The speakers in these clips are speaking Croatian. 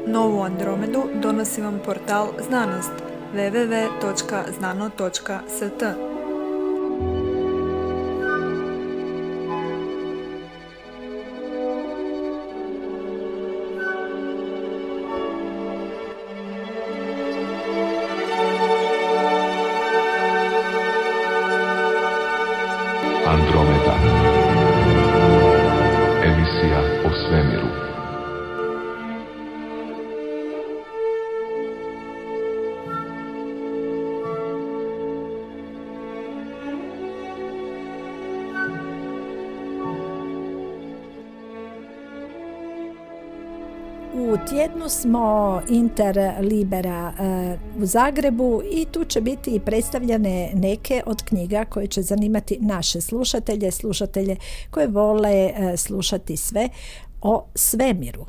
Novu Andromedu donosi vam portal Znanost www.znano.st. Andromeda. Emisija o svemiru. U tjednu smo Interlibera u Zagrebu i tu će biti i predstavljene neke od knjiga koje će zanimati naše slušatelje koje vole slušati sve o svemiru.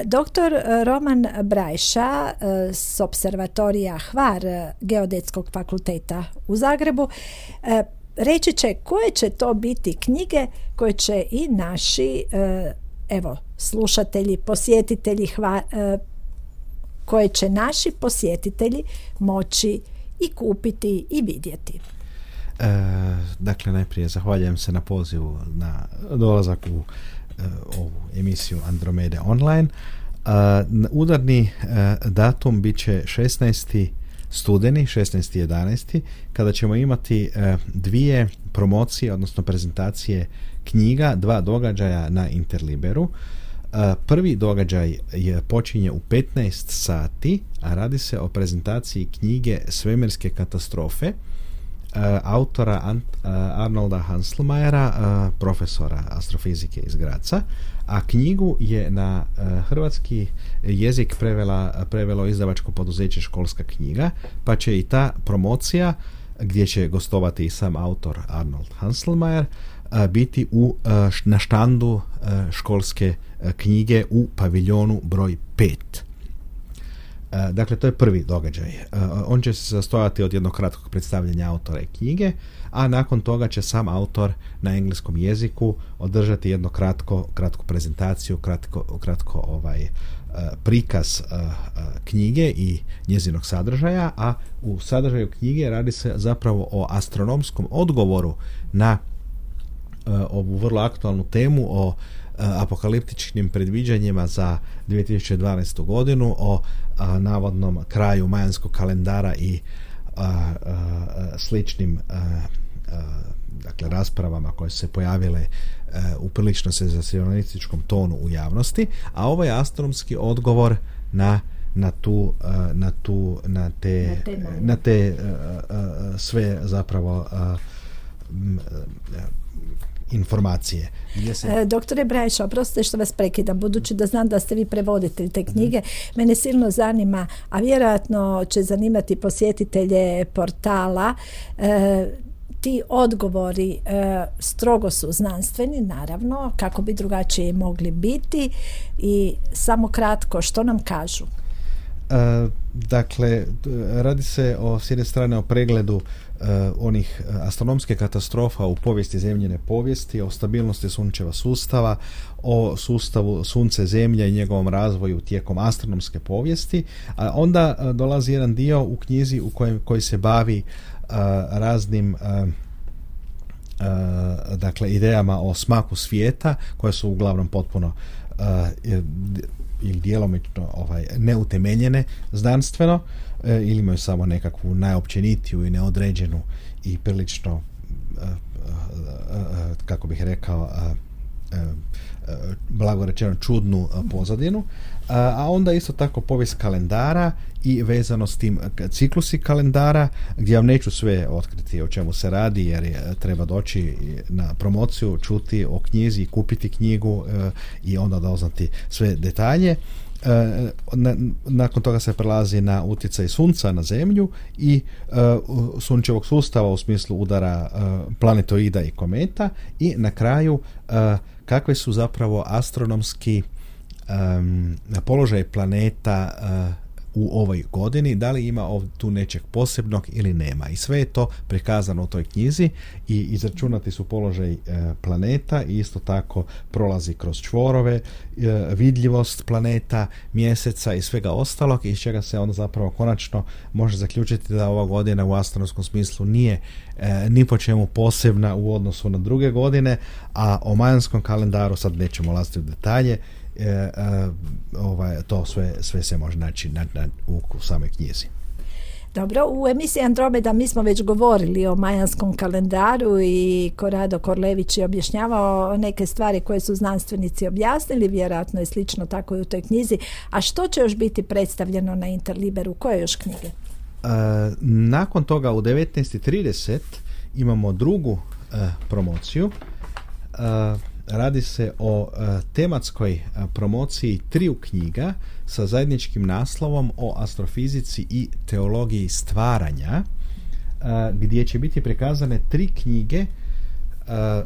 Dr. Roman Brajša s Opservatorija Hvar Geodetskog fakulteta u Zagrebu reći će koje će to biti knjige koje će i naši slušatelji, posjetitelji koje će naši posjetitelji moći i kupiti i vidjeti. Dakle, najprije zahvaljujem se na pozivu na dolazak u ovu emisiju Andromede online. Udarni datum bit će 16. studeni, 16.11. kada ćemo imati dvije promocije, odnosno prezentacije knjiga, dva događaja na Interliberu. Prvi događaj počinje u 15 sati, a radi se o prezentaciji knjige Svemirske katastrofe autora Arnolda Hanselmayera, profesora astrofizike iz Graca, a knjigu je na hrvatski jezik prevelo izdavačko poduzeće Školska knjiga, pa će i ta promocija, gdje će gostovati i sam autor Arnold Hanselmayer, biti na štandu Školske knjige u paviljonu broj 5. Dakle, to je prvi događaj. On će se sastojati od jednog kratkog predstavljanja autora i knjige, a nakon toga će sam autor na engleskom jeziku održati jednu kratku prezentaciju, kratko prikaz knjige i njezinog sadržaja, a u sadržaju knjige radi se zapravo o astronomskom odgovoru na ovu vrlo aktualnu temu o apokaliptičnim predviđanjima za 2012. godinu, o navodnom kraju majanskog kalendara i sličnim dakle raspravama koje su se pojavile u prilično senzacionalističkom tonu u javnosti, a ovo je astronomski odgovor na te sve zapravo informacije. Doktore Brajša, oprostite što vas prekidam, budući da znam da ste vi prevoditelj te knjige, mene silno zanima, a vjerojatno će zanimati posjetitelje portala, ti odgovori strogo su znanstveni, naravno, kako bi drugačije mogli biti, i samo kratko, što nam kažu? Dakle, radi se s jedne strane o pregledu onih astronomske katastrofa u povijesti zemljine povijesti, o stabilnosti sunčeva sustava, o sustavu Sunce Zemlja i njegovom razvoju tijekom astronomske povijesti, a onda dolazi jedan dio u knjizi koji se bavi raznim dakle idejama o smaku svijeta, koje su uglavnom potpuno ili djelomično neutemeljene znanstveno, ili imaju samo nekakvu najopćenitiju i neodređenu i prilično kako bih rekao blago rečeno čudnu pozadinu, a onda isto tako povijest kalendara i vezano s tim ciklusi kalendara, gdje vam neću sve otkriti o čemu se radi, jer treba doći na promociju, čuti o knjizi, kupiti knjigu i onda doznati sve detalje. Nakon toga se prelazi na utjecaj sunca na zemlju i sunčevog sustava u smislu udara planetoida i kometa, i na kraju kakve su zapravo astronomski položaj planeta u ovoj godini, da li ima tu nečeg posebnog ili nema. I sve je to prikazano u toj knjizi i izračunati su položaj planeta i isto tako prolazi kroz čvorove, vidljivost planeta, mjeseca i svega ostalog, iz čega se onda zapravo konačno može zaključiti da ova godina u astronomskom smislu nije ni po čemu posebna u odnosu na druge godine, a o majanskom kalendaru sad nećemo ulaziti u detalje, to sve se može naći u samoj knjizi. Dobro, u emisiji Andromeda mi smo već govorili o majanskom kalendaru i Korado Korlević je objašnjavao neke stvari koje su znanstvenici objasnili, vjerojatno je slično tako i u toj knjizi. A što će još biti predstavljeno na Interliberu? Koje još knjige? Nakon toga u 19:30 imamo drugu promociju. Radi se o tematskoj promociji 3 knjiga sa zajedničkim naslovom o astrofizici i teologiji stvaranja, gdje će biti prikazane 3 knjige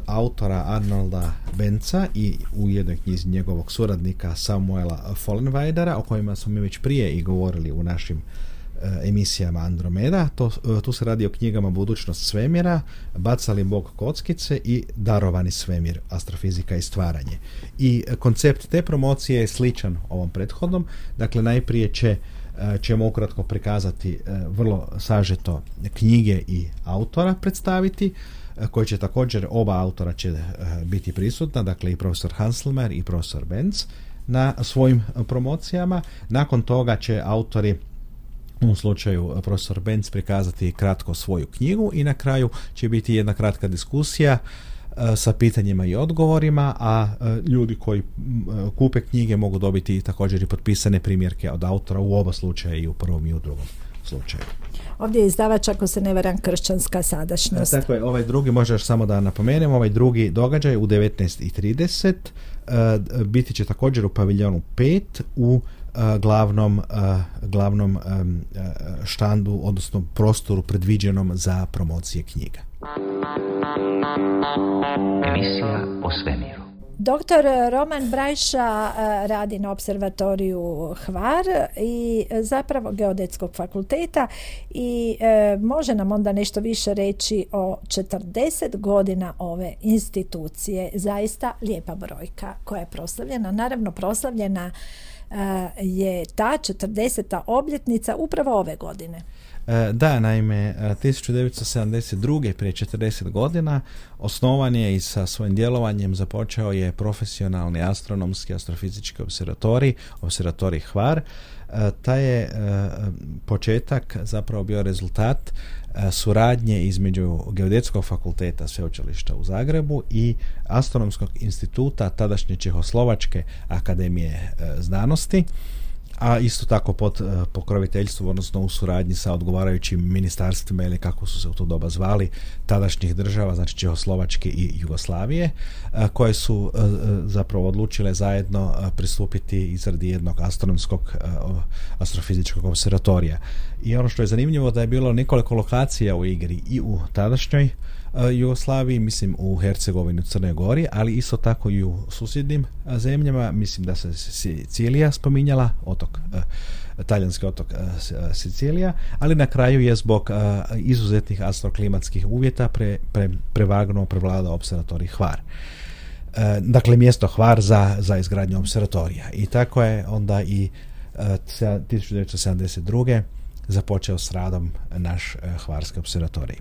autora Arnolda Benza i u jednoj knjizi njegovog suradnika Samuela Follenweidera, o kojima smo mi već prije i govorili u našim emisijama Andromeda. Tu se radi o knjigama Budućnost svemira, Bacali Bog kockice i Darovani svemir, astrofizika i stvaranje. I koncept te promocije je sličan ovom prethodnom. Dakle, najprije ćemo ukratko prikazati vrlo sažeto knjige i autora predstaviti, koji će također, oba autora će biti prisutna, dakle i profesor Hanselmer i profesor Benz na svojim promocijama. Nakon toga će autori, u ovom slučaju profesor Benz, prikazati kratko svoju knjigu i na kraju će biti jedna kratka diskusija sa pitanjima i odgovorima, a ljudi koji kupe knjige mogu dobiti također i potpisane primjerke od autora u oba slučaja, i u prvom i u drugom slučaju. Ovdje je izdavač, ako se ne varam, Kršćanska sadašnjost. Tako je, ovaj drugi, možda još samo da napomenem, ovaj drugi događaj u 19:30 biti će također u paviljonu 5 u glavnom štandu, odnosno prostoru predviđenom za promocije knjiga. Emisija o svemiru. Doktor Roman Brajša radi na observatoriju Hvar i zapravo Geodetskog fakulteta i može nam onda nešto više reći o 40 godina ove institucije. Zaista lijepa brojka koja je proslavljena. Naravno, proslavljena je ta 40. obljetnica upravo ove godine. Da, naime, 1972. prije 40 godina osnovan je i sa svojim djelovanjem započeo je profesionalni astronomski astrofizički observatorij Hvar. Taj je početak zapravo bio rezultat suradnje između Geodetskog fakulteta Sveučilišta u Zagrebu i Astronomskog instituta tadašnje Čehoslovačke akademije znanosti, a isto tako pod pokroviteljstvom, odnosno u suradnji sa odgovarajućim ministarstvima, ili kako su se u to doba zvali, tadašnjih država, znači Čehoslovačke i Jugoslavije, koje su zapravo odlučile zajedno pristupiti izradi jednog astrofizičkog observatorija. I ono što je zanimljivo, da je bilo nekoliko lokacija u igri i u tadašnjoj Jugoslaviji, mislim u Hercegovini, u Crnoj Gori, ali isto tako i u susjednim zemljama. Mislim da se Sicilija spominjala, talijanski otok Sicilija, ali na kraju je zbog izuzetnih astroklimatskih uvjeta prevladao observatorij Hvar. Dakle, mjesto Hvar za izgradnju observatorija. I tako je onda i 1972. započeo s radom naš Hvarski observatorij.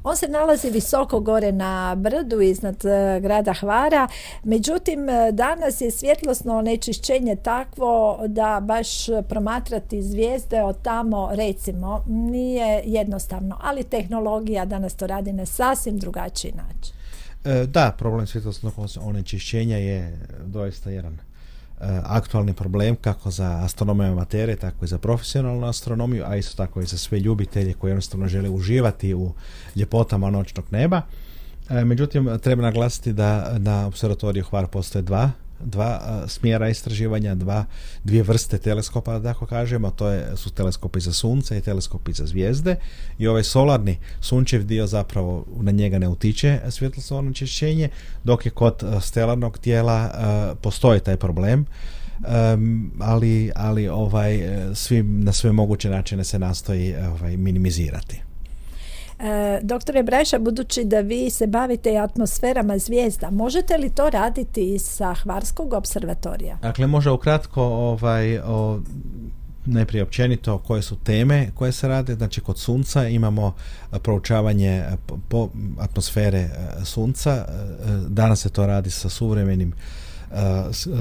On se nalazi visoko gore na brdu iznad grada Hvara, međutim danas je svjetlosno onečišćenje takvo da baš promatrati zvijezde od tamo, recimo, nije jednostavno, ali tehnologija danas to radi na sasvim drugačiji način. Da, problem svjetlosnog onečišćenja je doista jedan aktualni problem kako za astronome amatere, tako i za profesionalnu astronomiju, a isto tako i za sve ljubitelje koji jednostavno žele uživati u ljepotama noćnog neba. Međutim, treba naglasiti da na observatoriju Hvar postoje dva smjera istraživanja, dvije vrste teleskopa, da tako kažemo. Su teleskopi za sunce i teleskopi za zvijezde, i ovaj solarni sunčev dio zapravo na njega ne utiče svjetlosno onečišćenje, dok je kod stelarnog tijela postoji taj problem ali na sve moguće načine se nastoji minimizirati. Doktore Brajša, budući da vi se bavite atmosferama zvijezda, možete li to raditi i sa Hvarskog observatorija? Dakle, možda ukratko najprije općenito koje su teme koje se rade. Znači, kod Sunca imamo proučavanje atmosfere Sunca. Danas se to radi sa suvremenim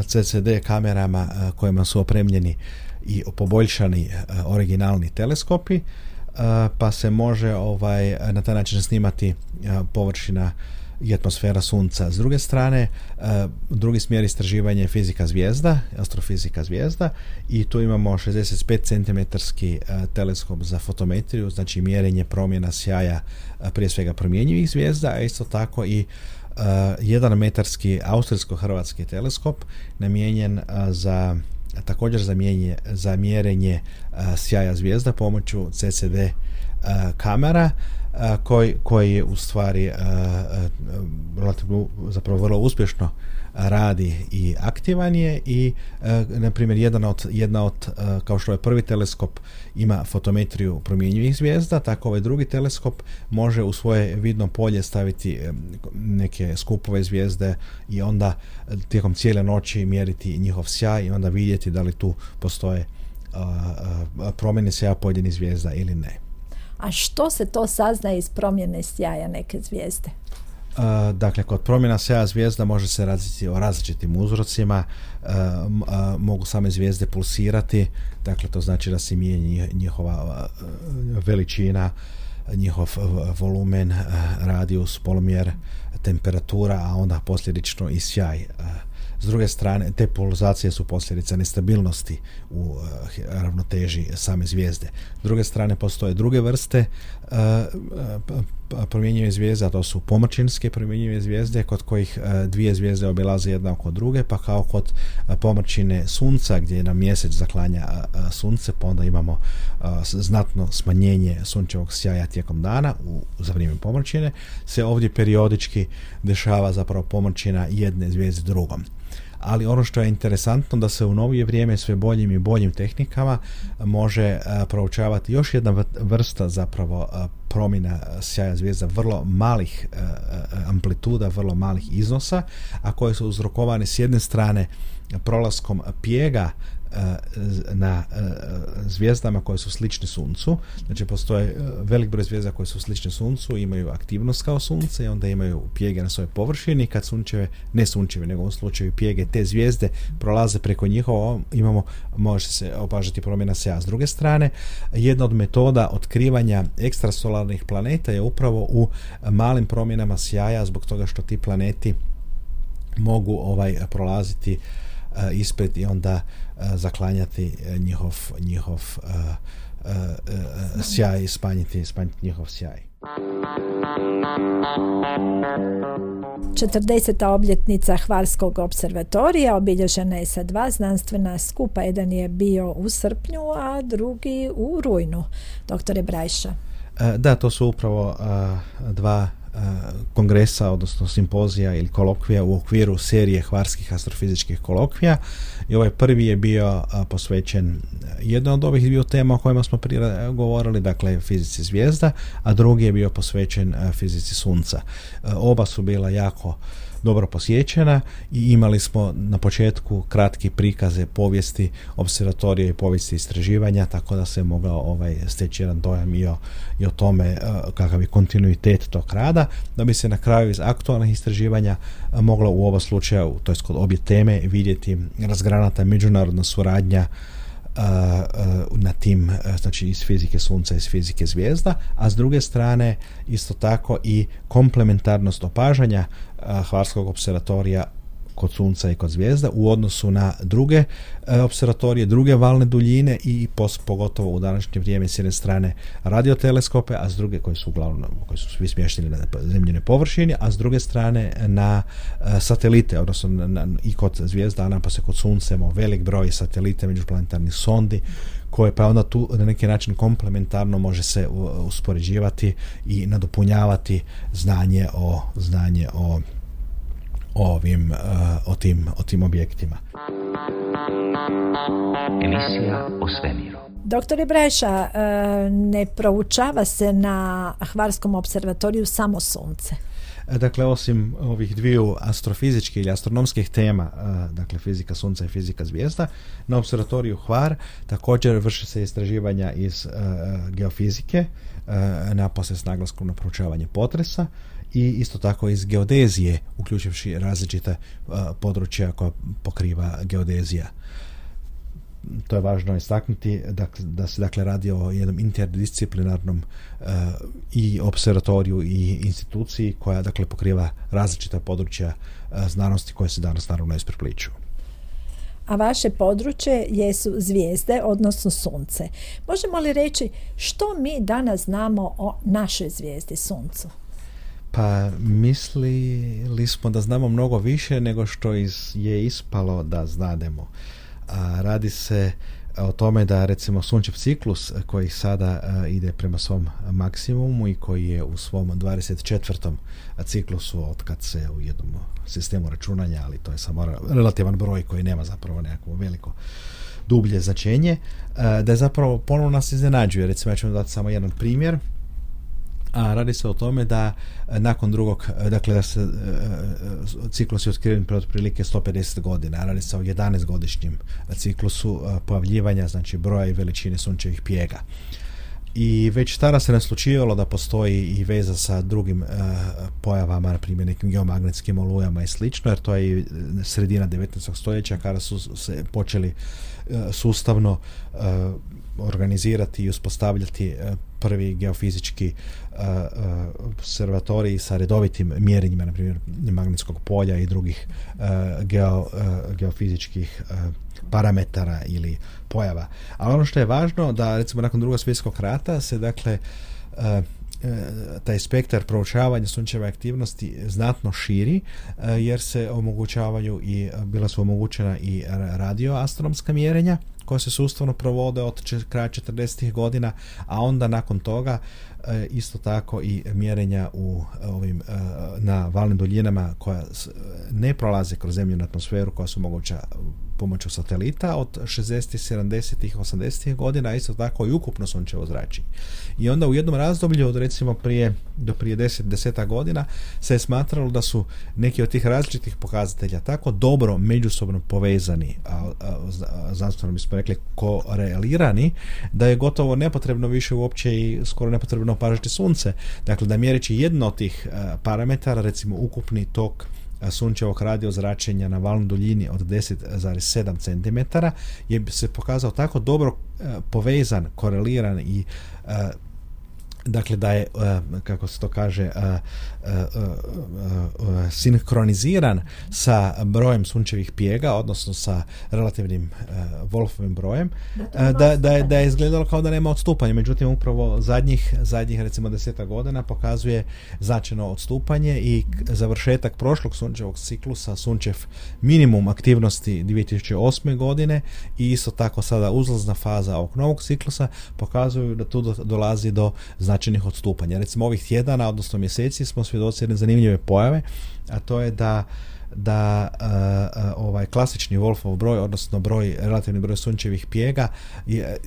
CCD kamerama kojima su opremljeni i poboljšani originalni teleskopi, pa se može na taj način snimati površina i atmosfera Sunca. S druge strane, drugi smjer istraživanja je fizika zvijezda, astrofizika zvijezda, i tu imamo 65 cm teleskop za fotometriju, znači mjerenje promjena sjaja prije svega promjenjivih zvijezda, a isto tako i 1 metarski austrijsko-hrvatski teleskop namijenjen također za mjerenje sjaja zvijezda pomoću CCD kamera, koji je u stvari relativno, zapravo vrlo uspješno radi i aktivan je, i na primjer jedna od kao što je prvi teleskop ima fotometriju promjenjivih zvijezda, tako ovaj drugi teleskop može u svoje vidno polje staviti neke skupove zvijezde i onda tijekom cijele noći mjeriti njihov sjaj i onda vidjeti da li tu postoje promjene sjaja pojedinih zvijezda ili ne. A što se to saznaje iz promjene sjaja neke zvijezde? Dakle, kod promjena sjaja zvijezda može se raditi o različitim uzrocima. Mogu same zvijezde pulsirati, dakle to znači da se mijenja njihova veličina, njihov volumen, radijus, polumjer, temperatura, a onda posljedično i sjaj. S druge strane, te pulzacije su posljedica nestabilnosti u ravnoteži same zvijezde. S druge strane, postoje druge vrste promjenjive zvijezde, a to su pomrčinske promjenjive zvijezde, kod kojih dvije zvijezde obilaze jedna oko druge, pa kao kod pomrčine Sunca, gdje nam mjesec zaklanja Sunce, pa onda imamo znatno smanjenje sunčevog sjaja tijekom dana za vrijeme pomrčine, se ovdje periodički dešava zapravo pomrčina jedne zvijezde drugom. Ali ono što je interesantno da se u novije vrijeme sve boljim i boljim tehnikama može proučavati još jedna vrsta zapravo promjena sjaja zvijezda vrlo malih amplituda, vrlo malih iznosa, a koje su uzrokovane s jedne strane prolaskom pjega na zvijezdama koje su slične Suncu. Znači postoje velik broj zvijezda koje su slične Suncu, imaju aktivnost kao Sunce i onda imaju pjege na svojoj površini. Kad ne sunčeve, nego u slučaju pjege, te zvijezde prolaze preko njihova, može se opažati promjena sjaja. S druge strane, jedna od metoda otkrivanja ekstrasolarnih planeta je upravo u malim promjenama sjaja, zbog toga što ti planeti mogu prolaziti ispred i onda zaklanjati njihov sjaj i smanjiti njihov sjaj. 40. obljetnica Hvarskog observatorija obilježena je sa 2 znanstvena skupa. Jedan je bio u srpnju, a drugi u rujnu. Doktore Brajša. Da, to su upravo 2 kongresa, odnosno simpozija ili kolokvija u okviru serije hvarskih astrofizičkih kolokvija, i ovaj prvi je bio posvećen jednoj od ovih dviju tema o kojima smo prije govorili, dakle fizici zvijezda, a drugi je bio posvećen fizici Sunca. Oba su bila jako dobro posjećena i imali smo na početku kratki prikaze povijesti observatorija i povijesti istraživanja, tako da se mogao steći jedan dojam i o tome kakav je kontinuitet tog rada, da bi se na kraju iz aktualnih istraživanja moglo u oba slučaja, to jest kod obje teme, vidjeti razgranata međunarodna suradnja na tim, znači iz fizike Sunca i iz fizike zvijezda, a s druge strane isto tako i komplementarnost opažanja Hvarskog observatorija kod Sunca i kod zvijezda u odnosu na druge observatorije, druge valne duljine i pogotovo u današnje vrijeme s jedne strane radioteleskope, a s druge koji su svi smješteni na zemljinoj površini, a s druge strane na satelite, odnosno i kod zvijezda, a napose kod Sunca imamo velik broj satelita, međuplanetarnih sondi, koje pa onda tu na neki način komplementarno može se uspoređivati i nadopunjavati znanje o tim objektima. Emisija o svemiru. Doktore Breša, ne proučava se na Hvarskom observatoriju samo sunce. Dakle, osim ovih dviju astrofizičkih ili astronomskih tema, dakle fizika sunca i fizika zvijezda, na observatoriju Hvar također vrše se istraživanja iz geofizike, napose s naglaskom na proučavanje potresa, i isto tako iz geodezije, uključivši različite područja koja pokriva geodezija. To je važno istaknuti da se dakle radi o jednom interdisciplinarnom i observatoriju i instituciji koja dakle pokriva različita područja znanosti koje se danas naravno isprepliču. A vaše područje jesu zvijezde, odnosno sunce. Možemo li reći što mi danas znamo o našoj zvijezdi suncu? Pa mislili smo da znamo mnogo više nego što je ispalo da znademo. Radi se o tome da recimo sunčev ciklus koji sada ide prema svom maksimumu i koji je u svom 24. ciklusu od kad se u jednom sistemu računanja, ali to je samo relativan broj koji nema zapravo nekako veliko dublje značenje, da je zapravo ponovno nas iznenađuje. Recimo ja ću vam dati samo jedan primjer. A radi se o tome da nakon drugog, dakle da se ciklus je otkriven pred otprilike 150 godina, radi se o 11-godišnjem ciklusu pojavljivanja, znači broja i veličine sunčevih pjega. I već tada se naslučivalo da postoji i veza sa drugim pojavama, na primjer nekim geomagnetskim olujama i slično, jer to je i sredina 19. stoljeća kada su se počeli sustavno organizirati i uspostavljati prvi geofizički observatoriji sa redovitim mjerenjima, na primjer magnetskog polja i drugih geofizičkih parametara ili pojava. Ali ono što je važno da recimo nakon Drugog svjetskog rata se dakle taj spektar proučavanja sunčeve aktivnosti znatno širi, jer se omogućavaju i bila su omogućena i radioastronomska mjerenja koja se sustavno provode od kraja 40. godina, a onda nakon toga isto tako i mjerenja u ovim na valnim duljinama koja ne prolaze kroz zemljinu atmosferu, koja su moguća pomoću satelita od 60. 70. 80. godina, a isto tako i ukupno sunčevo zračenje. I onda u jednom razdoblju od recimo do prije 10 godina se je smatralo da su neki od tih različitih pokazatelja tako dobro međusobno povezani, znanstveno bismo rekli korelirani, da je gotovo nepotrebno više uopće i skoro nepotrebno opažati sunce. Dakle, da mjereći jedno od tih parametara, recimo ukupni tok sunčevog radiozračenja na valnoj duljini od 10,7 cm je se pokazao tako dobro povezan, koreliran i dakle da je, kako se to kaže, sinkroniziran sa brojem sunčevih pjega, odnosno sa relativnim Wolfovim brojem, da je izgledalo kao da nema odstupanja. Međutim, upravo zadnjih recimo 10 godina pokazuje značajno odstupanje i završetak prošlog sunčevog ciklusa, sunčev minimum aktivnosti 2008. godine i isto tako sada uzlazna faza ovog novog ciklusa pokazuju da tu dolazi do značajnih odstupanja. Recimo ovih tjedana, odnosno mjeseci, smo svjedoci jedne zanimljive pojave, a to je da ovaj klasični Wolfov broj, odnosno relativni broj sunčevih pjega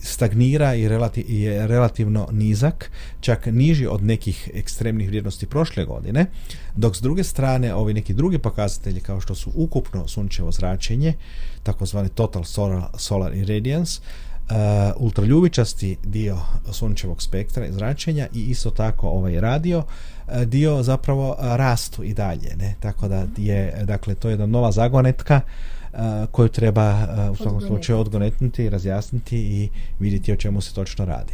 stagnira i je relativno nizak, čak niži od nekih ekstremnih vrijednosti prošle godine, dok s druge strane ovi neki drugi pokazatelji kao što su ukupno sunčevo zračenje, takozvani total solar irradiance, ultraljubičasti dio sunčevog spektra i zračenja i isto tako ovaj radio dio zapravo rastu i dalje, ne? Tako da je, dakle, to je jedna nova zagonetka koju treba u svakom slučaju odgonetnuti i razjasniti i vidjeti o čemu se točno radi.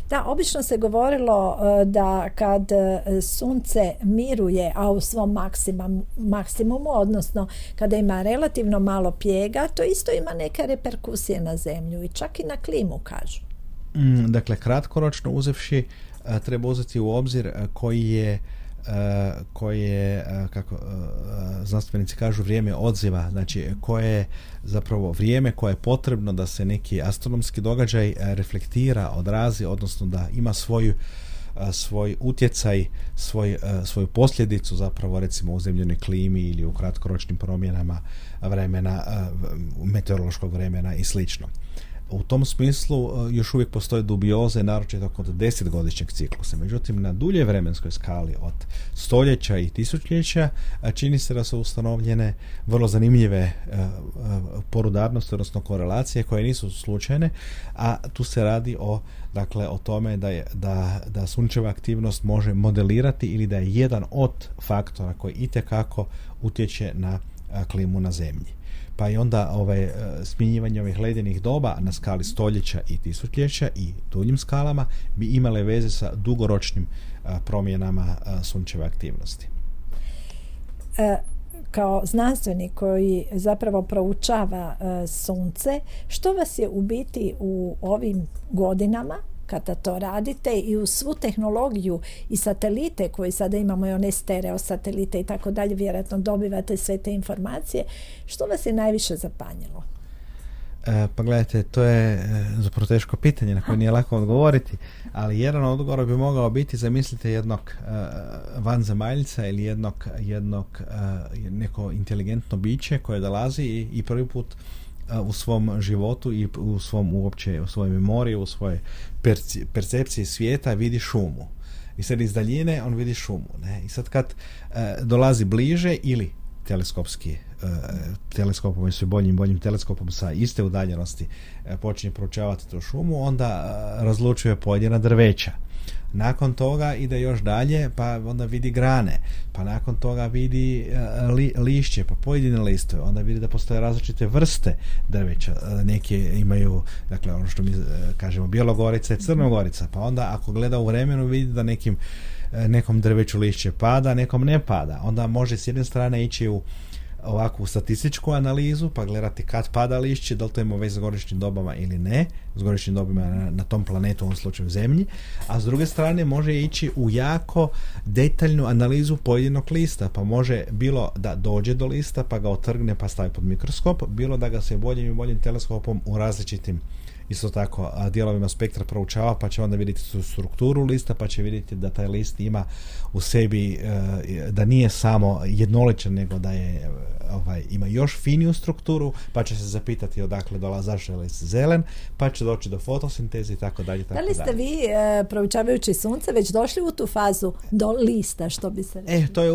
Da, obično se govorilo da kad sunce miruje, a u svom maksimumu, odnosno kada ima relativno malo pjega, to isto ima neke reperkusije na zemlju i čak i na klimu, kažu. Dakle, kratkoročno uzevši, treba uzeti u obzir koji je kako znanstvenici kažu, vrijeme odziva, znači koje je zapravo vrijeme koje je potrebno da se neki astronomski događaj reflektira, odrazi, odnosno da ima svoju svoj utjecaj, svoju posljedicu zapravo recimo u zemljenoj klimi ili u kratkoročnim promjenama vremena, meteorološkog vremena i slično. U tom smislu još uvijek postoje dubioze, naročito kod 10-godišnjeg ciklusa. Međutim, na dulje vremenskoj skali od stoljeća i tisućljeća čini se da su ustanovljene vrlo zanimljive porudarnosti, odnosno korelacije koje nisu slučajne, a tu se radi o tome da sunčeva aktivnost može modelirati ili da je jedan od faktora koji itekako utječe na klimu na Zemlji. Pa i onda smjenjivanje ovih ledenih doba na skali stoljeća i tisućljeća i duljim skalama bi imale veze sa dugoročnim promjenama sunčeve aktivnosti. Kao znanstvenik koji zapravo proučava sunce, što vas je u biti u ovim godinama kada to radite i u svu tehnologiju i satelite koji sada imamo i one stereo satelite i tako dalje, vjerojatno dobivate sve te informacije, što vas je najviše zapanjilo? Pa gledajte, to je zapravo teško pitanje na koje nije lako odgovoriti, ali jedan odgovor bi mogao biti, zamislite jednog vanzemaljca ili jednog neko inteligentno biće koje dolazi i prvi put u svom životu i u svojoj memoriji, u svojoj percepciji svijeta vidi šumu. I sad iz daljine on vidi šumu. Ne? I sad kad dolazi bliže ili teleskopom i sve boljim teleskopom sa iste udaljenosti počinje proučavati tu šumu, onda razlučuje pojedina drveća. Nakon toga ide još dalje, pa onda vidi grane, pa nakon toga vidi lišće, pa pojedine listove, onda vidi da postoje različite vrste drveća. Neke imaju, dakle, ono što mi kažemo Bjelogorica i Crnogorica, pa onda ako gleda u vremenu vidi da nekom drveću lišće pada, nekom ne pada. Onda može s jedne strane ići u ovakvu statističku analizu, pa gledati kad pada lišće, da li to ima veze s godišnjim dobama ili ne, s godišnjim dobama na tom planetu, u ovom slučaju Zemlji, a s druge strane može ići u jako detaljnu analizu pojedinog lista, pa može bilo da dođe do lista, pa ga otrgne, pa stavi pod mikroskop, bilo da ga se boljim i boljim teleskopom u različitim isto tako dijelovima spektra proučava, pa će onda vidjeti strukturu lista, pa će vidjeti da taj list ima u sebi, da nije samo jednoličan, nego da je ima još finiju strukturu, pa će se zapitati odakle dolazi, zašto je list zelen, pa će doći do fotosinteze i tako dalje. Da li ste vi, proučavajući sunce, već došli u tu fazu do lista, što bi se rekli? To je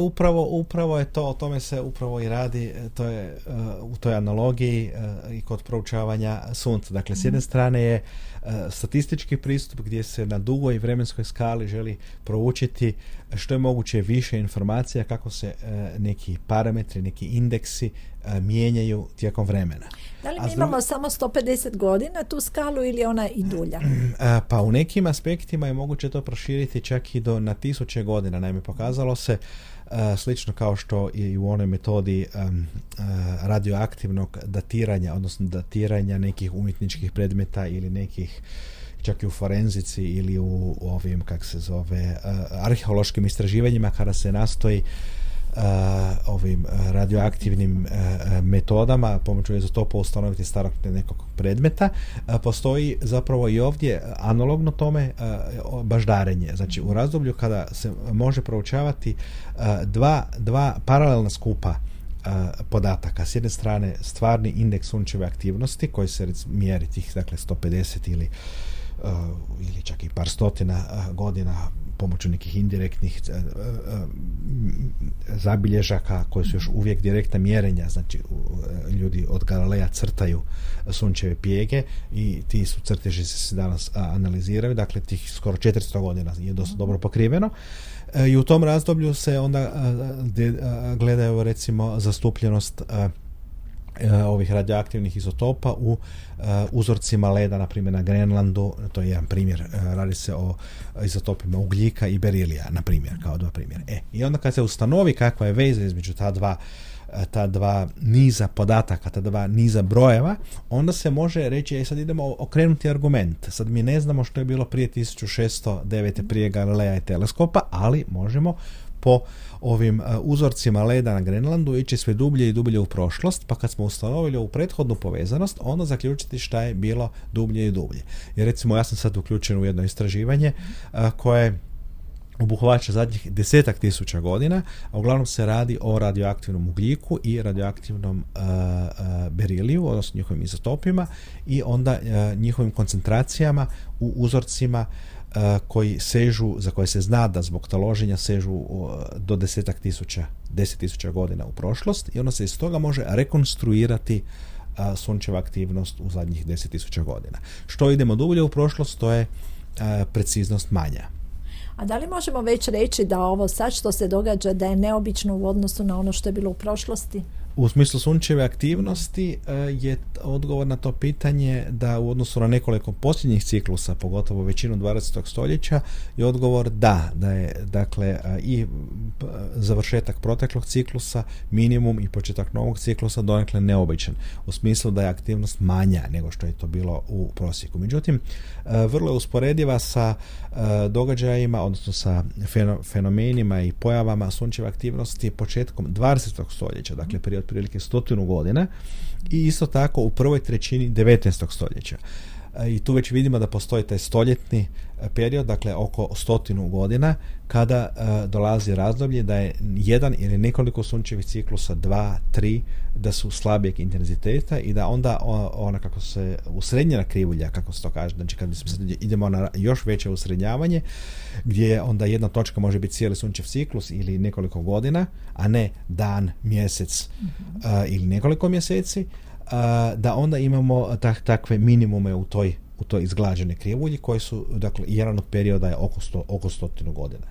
upravo je to, o tome se upravo i radi, to je u toj analogiji i kod proučavanja sunca. Dakle, s jedne strane je statistički pristup gdje se na dugoj vremenskoj skali želi proučiti što je moguće više informacija kako se neki parametri, neki indeksi mijenjaju tijekom vremena. Da li mi imamo samo 150 godina tu skalu ili ona i dulja? Pa u nekim aspektima je moguće to proširiti čak i na 1000 godina. Naime, pokazalo se slično kao što i u onoj metodi radioaktivnog datiranja, odnosno datiranja nekih umjetničkih predmeta ili nekih, čak i u forenzici ili u ovim, arheološkim istraživanjima, kada se nastoji ovim radioaktivnim metodama pomoću izotopa ustanoviti starog nekog predmeta, postoji zapravo i ovdje analogno tome baždarenje. Znači u razdoblju kada se može proučavati dva paralelna skupa podataka. S jedne strane stvarni indeks sunčeve aktivnosti koji se mjeri tih 150 ili čak i par stotina godina pomoću nekih indirektnih zabilježaka koji su još uvijek direktna mjerenja, znači ljudi od Galileja crtaju sunčeve pjege i ti su crteži se danas analiziraju, dakle tih skoro 400 godina je dosta dobro pokriveno. I u tom razdoblju se onda gledaju recimo zastupljenost ovih radioaktivnih izotopa u uzorcima leda, na primjer na Grenlandu, to je jedan primjer, radi se o izotopima ugljika i berilija, na primjer, kao dva primjera. I onda kad se ustanovi kakva je veza između ta dva niza podataka, ta dva niza brojeva, onda se može reći, sad idemo okrenuti argument. Sad mi ne znamo što je bilo prije 1609. prije Galileja i teleskopa, ali možemo po ovim uzorcima leda na Grenlandu ići sve dublje i dublje u prošlost, pa kad smo ustanovili ovu prethodnu povezanost, onda zaključiti šta je bilo dublje i dublje. Jer recimo ja sam sad uključen u jedno istraživanje koje obuhvaća zadnjih 10.000 godina, a uglavnom se radi o radioaktivnom ugljiku i radioaktivnom beriliju, odnosno njihovim izotopima i onda njihovim koncentracijama u uzorcima za koje se zna da zbog taloženja sežu do 10.000 godina u prošlost i onda se iz toga može rekonstruirati sunčeva aktivnost u zadnjih 10.000 godina. Što idemo dublje u prošlost, to je preciznost manja. A da li možemo već reći da ovo sad što se događa da je neobično u odnosu na ono što je bilo u prošlosti? U smislu sunčeve aktivnosti je odgovor na to pitanje da u odnosu na nekoliko posljednjih ciklusa, pogotovo većinu 20. stoljeća, je odgovor da je dakle i završetak proteklog ciklusa minimum i početak novog ciklusa donekle neobičan, u smislu da je aktivnost manja nego što je to bilo u prosjeku. Međutim, vrlo je usporediva sa događajima, odnosno sa fenomenima i pojavama sunčeve aktivnosti početkom 20. stoljeća, dakle prije otprilike 100 godina i isto tako u prvoj trećini 19. stoljeća. I tu već vidimo da postoji taj stoljetni period, dakle oko 100 godina, kada dolazi razdoblje da je jedan ili nekoliko sunčevih ciklusa, 2, 3, da su slabijeg intenziteta i da onda ona kako se usrednjena krivulja, kako se to kaže, znači kad idemo na još veće usrednjavanje, gdje onda jedna točka može biti cijeli sunčev ciklus ili nekoliko godina, a ne dan, mjesec ili nekoliko mjeseci, da onda imamo takve minimume u toj izglađene krivulji koji su, dakle, jedan od perioda je oko 100 godina.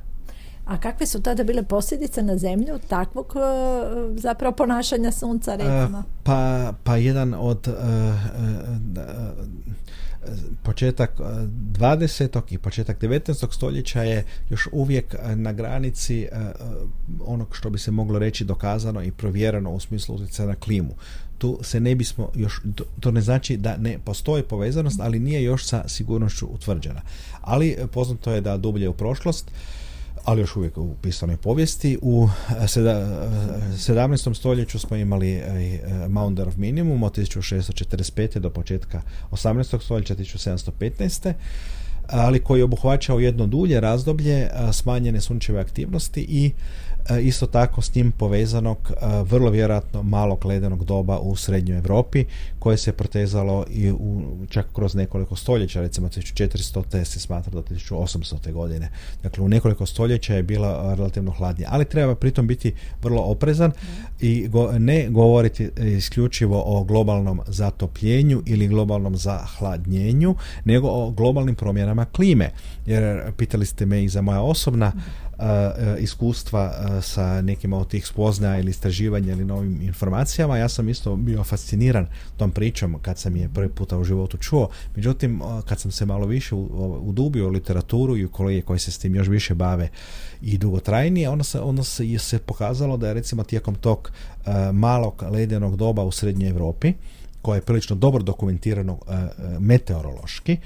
A kakve su tada bile posljedice na zemlju takvog zapravo ponašanja sunca, recimo? Pa jedan od početak 20. i početak 19. stoljeća je još uvijek na granici onog što bi se moglo reći dokazano i provjereno u smislu utjecaja na klimu. Tu se ne bismo još, to ne znači da ne postoji povezanost, ali nije još sa sigurnošću utvrđena. Ali poznato je da dublje u prošlost, ali još uvijek u pisanoj povijesti, u 17. stoljeću smo imali Maunder of Minimum od 1645. do početka 18. stoljeća 1715. ali koji je obuhvaćao jedno dulje razdoblje smanjene sunčeve aktivnosti i isto tako s njim povezanog vrlo vjerojatno malog ledenog doba u srednjoj Europi koje se protezalo i čak kroz nekoliko stoljeća, recimo 1400. se smatra do 1800. godine. Dakle, u nekoliko stoljeća je bila relativno hladnija, ali treba pritom biti vrlo oprezan i ne govoriti isključivo o globalnom zatopljenju ili globalnom zahladnjenju, nego o globalnim promjenama klime. Jer pitali ste me i za moja osobna iskustva sa nekim od tih spoznaja ili istraživanja ili novim informacijama. Ja sam isto bio fasciniran tom pričom kad sam je prvi puta u životu čuo. Međutim, kad sam se malo više udubio u literaturu i u kolege koji se s tim još više bave i dugotrajnije, onda se pokazalo da je recimo tijekom tog malog ledenog doba u srednjoj Europi, koje je prilično dobro dokumentirano meteorološki,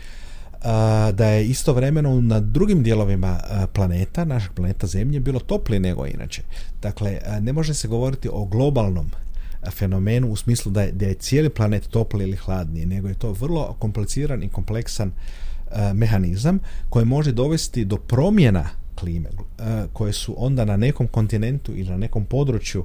da je istovremeno na drugim dijelovima planeta, našeg planeta Zemlje, bilo toplije nego inače. Dakle, ne može se govoriti o globalnom fenomenu u smislu da je cijeli planet topliji ili hladniji, nego je to vrlo kompliciran i kompleksan mehanizam koji može dovesti do promjena klime koje su onda na nekom kontinentu ili na nekom području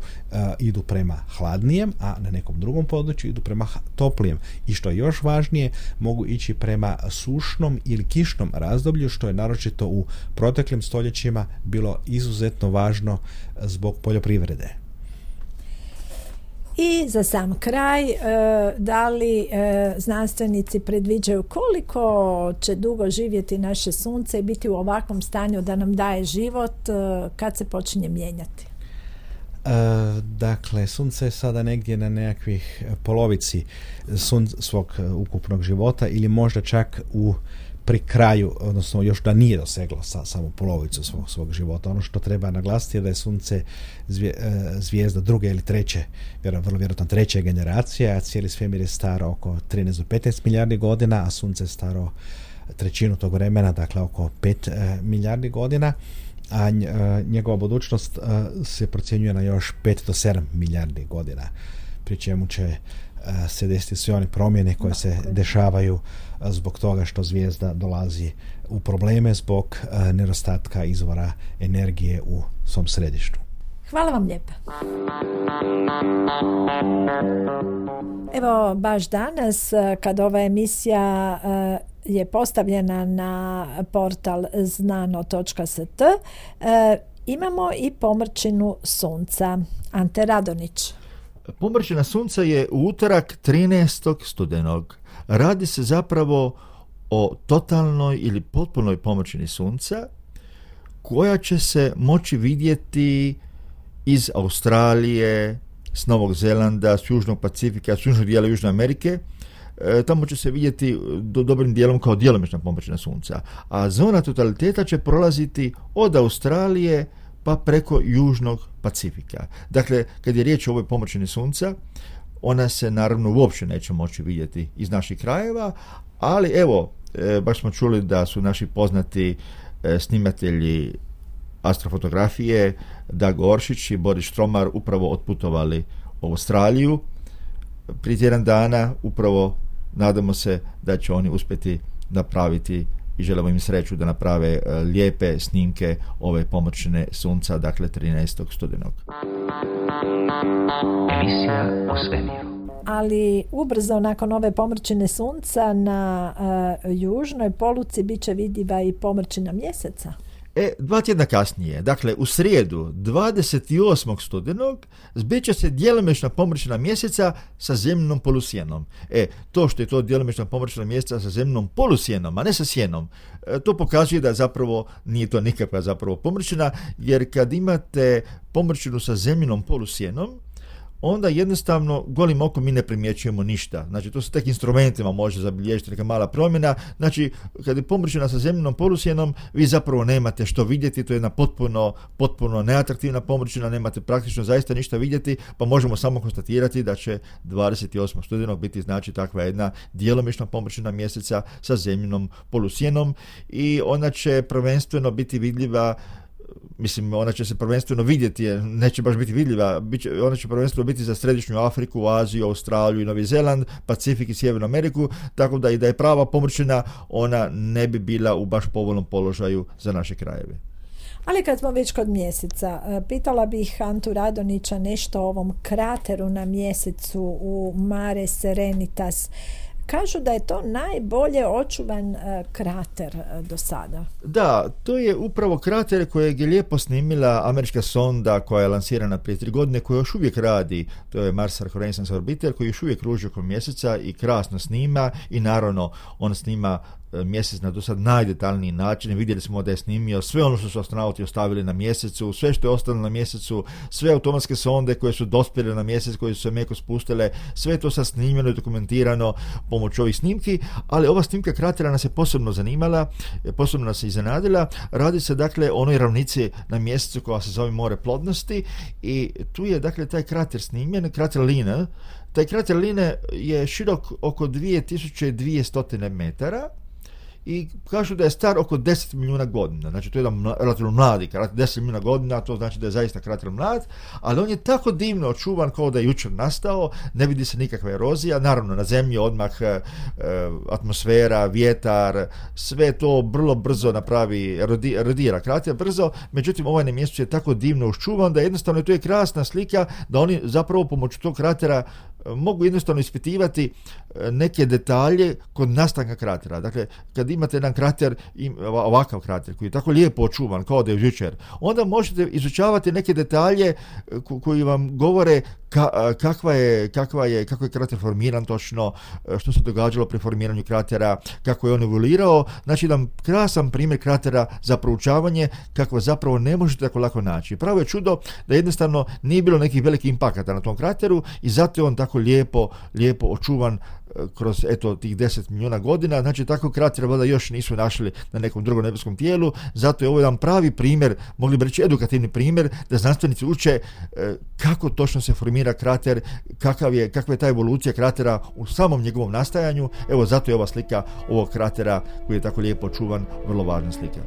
idu prema hladnijem, a na nekom drugom području idu prema toplijem. I što je još važnije, mogu ići prema sušnom ili kišnom razdoblju, što je naročito u proteklim stoljećima bilo izuzetno važno zbog poljoprivrede. I za sam kraj, da li znanstvenici predviđaju koliko će dugo živjeti naše sunce i biti u ovakvom stanju da nam daje život kad se počinje mijenjati? Dakle, sunce je sada negdje na nekakvih polovici svog ukupnog života ili možda čak pri kraju, odnosno još da nije doseglo samo polovicu svog života. Ono što treba naglasiti je da je sunce zvijezda druge ili treće, vrlo vjerojatno treće generacije, a cijeli svemir je staro oko 13 do 15 milijardi godina, a sunce je staro trećinu tog vremena, dakle oko 5 milijardi godina, a njegova budućnost se procjenjuje na još 5 do 7 milijardi godina. pri čemu će se desiti sve one promjene koje se dešavaju zbog toga što zvijezda dolazi u probleme zbog nedostatka izvora energije u svom središtu. Hvala vam lijepa. Evo, baš danas, kad ova emisija je postavljena na portal znano.st, imamo i pomrčinu sunca. Ante Radonić. Pomrčina sunca je u utorak 13. studenog. Radi se zapravo o totalnoj ili potpunoj pomrčini sunca koja će se moći vidjeti iz Australije, s Novog Zelanda, s Južnog Pacifika, s južnog dijela Južne Amerike. Tamo će se vidjeti dobrim dijelom kao djelomična pomrčina sunca. A zona totaliteta će prolaziti od Australije pa preko Južnog Pacifika. Dakle, kad je riječ o ovoj pomrčini sunca, ona se naravno uopće neće moći vidjeti iz naših krajeva, ali evo, baš smo čuli da su naši poznati snimatelji astrofotografije Dag Oršić i Boris Štromar upravo otputovali u Australiju prije tjedan dana. Upravo nadamo se da će oni uspjeti napraviti i želimo im sreću da naprave lijepe snimke ove pomrčine sunca, dakle 13. studenog. Emisija o svemiru. Ali ubrzo nakon ove pomrčine sunca na južnoj poluci bit će vidljiva i pomrčina mjeseca. 2 tjedna kasnije, dakle u srijedu 28. studenog, zbit će se djelomična pomrčina mjeseca sa zemljinom polusjenom. To što je to djelomična pomrčina mjeseca sa zemljinom polusjenom, a ne sa sjenom, to pokazuje da zapravo nije to nikakva zapravo pomrčina, jer kad imate pomrčinu sa zemljinom polusjenom, onda jednostavno golim okom mi ne primjećujemo ništa. Znači, to se tek instrumentima može zabilježiti neka mala promjena. Znači, kad je pomrčina sa zemljinom polusjenom, vi zapravo nemate što vidjeti, to je jedna potpuno neatraktivna pomrčina, nemate praktično zaista ništa vidjeti, pa možemo samo konstatirati da će 28. studenog biti znači takva jedna djelomična pomrčina mjeseca sa zemljinom polusjenom i ona će prvenstveno biti vidljiva. Mislim, ona će se prvenstveno vidjeti, neće baš biti vidljiva, ona će prvenstveno biti za Središnju Afriku, Aziju, Australiju i Novi Zeland, Pacifik i Sjevernu Ameriku, tako da i da je prava pomrčina, ona ne bi bila u baš povoljnom položaju za naše krajeve. Ali kad smo već kod mjeseca, pitala bih Antu Radonića nešto o ovom krateru na mjesecu u Mare Serenitas. Kažu da je to najbolje očuvan krater do sada. Da, to je upravo krater kojeg je lijepo snimila američka sonda koja je lansirana prije 3 godine, koja još uvijek radi. To je Mars Reconnaissance Orbiter koji još uvijek kruži oko mjeseca i krasno snima i naravno on snima mjesec na do sad najdetaljniji način. Vidjeli smo da je snimio sve ono što su astronauti ostavili na mjesecu, sve što je ostalo na mjesecu, sve automatske sonde koje su dospjele na mjesec, koje su se meko spustile, sve to sad snimljeno i dokumentirano pomoću ovih snimki, ali ova snimka kratera nas je posebno zanimala, posebno nas je iznenadila. Radi se dakle o onoj ravnici na mjesecu koja se zove more plodnosti i tu je dakle taj krater snimljen, krater Line. Taj krater Line je širok oko 2200 metara i kažu da je star oko 10 milijuna godina. Znači, to je jedan relativno mladi krater, 10 milijuna godina, to znači da je zaista krater mlad, ali on je tako divno očuvan kao da je jučer nastao, ne vidi se nikakva erozija. Naravno, na zemlji odmah atmosfera, vjetar, sve to vrlo brzo napravi, erodira krater brzo, međutim, ovaj na mjestu je tako divno očuvan da jednostavno to je krasna slika da oni zapravo pomoću tog kratera mogu jednostavno ispitivati neke detalje kod nastanka kratera. Dakle, kad imate jedan krater, ovakav krater koji je tako lijepo očuvan kao da je jučer, onda možete izučavati neke detalje koji vam govore kako je krater formiran točno, što se događalo pri formiranju kratera, kako je on evoluirao. Znači, jedan krasan primjer kratera za proučavanje kako zapravo ne možete tako lako naći. Pravo je čudo da jednostavno nije bilo nekih velikih impakata na tom krateru i zato je on tako lijepo očuvan kroz tih 10 milijuna godina. Znači, tako krater valjda još nisu našli na nekom drugom nebeskom tijelu, zato je ovo jedan pravi primjer, mogli bi reći edukativni primjer, da znanstvenici uče kako točno se formira krater, kakva je ta evolucija kratera u samom njegovom nastajanju. Evo, zato je ova slika ovog kratera koji je tako lijepo očuvan vrlo važna slika.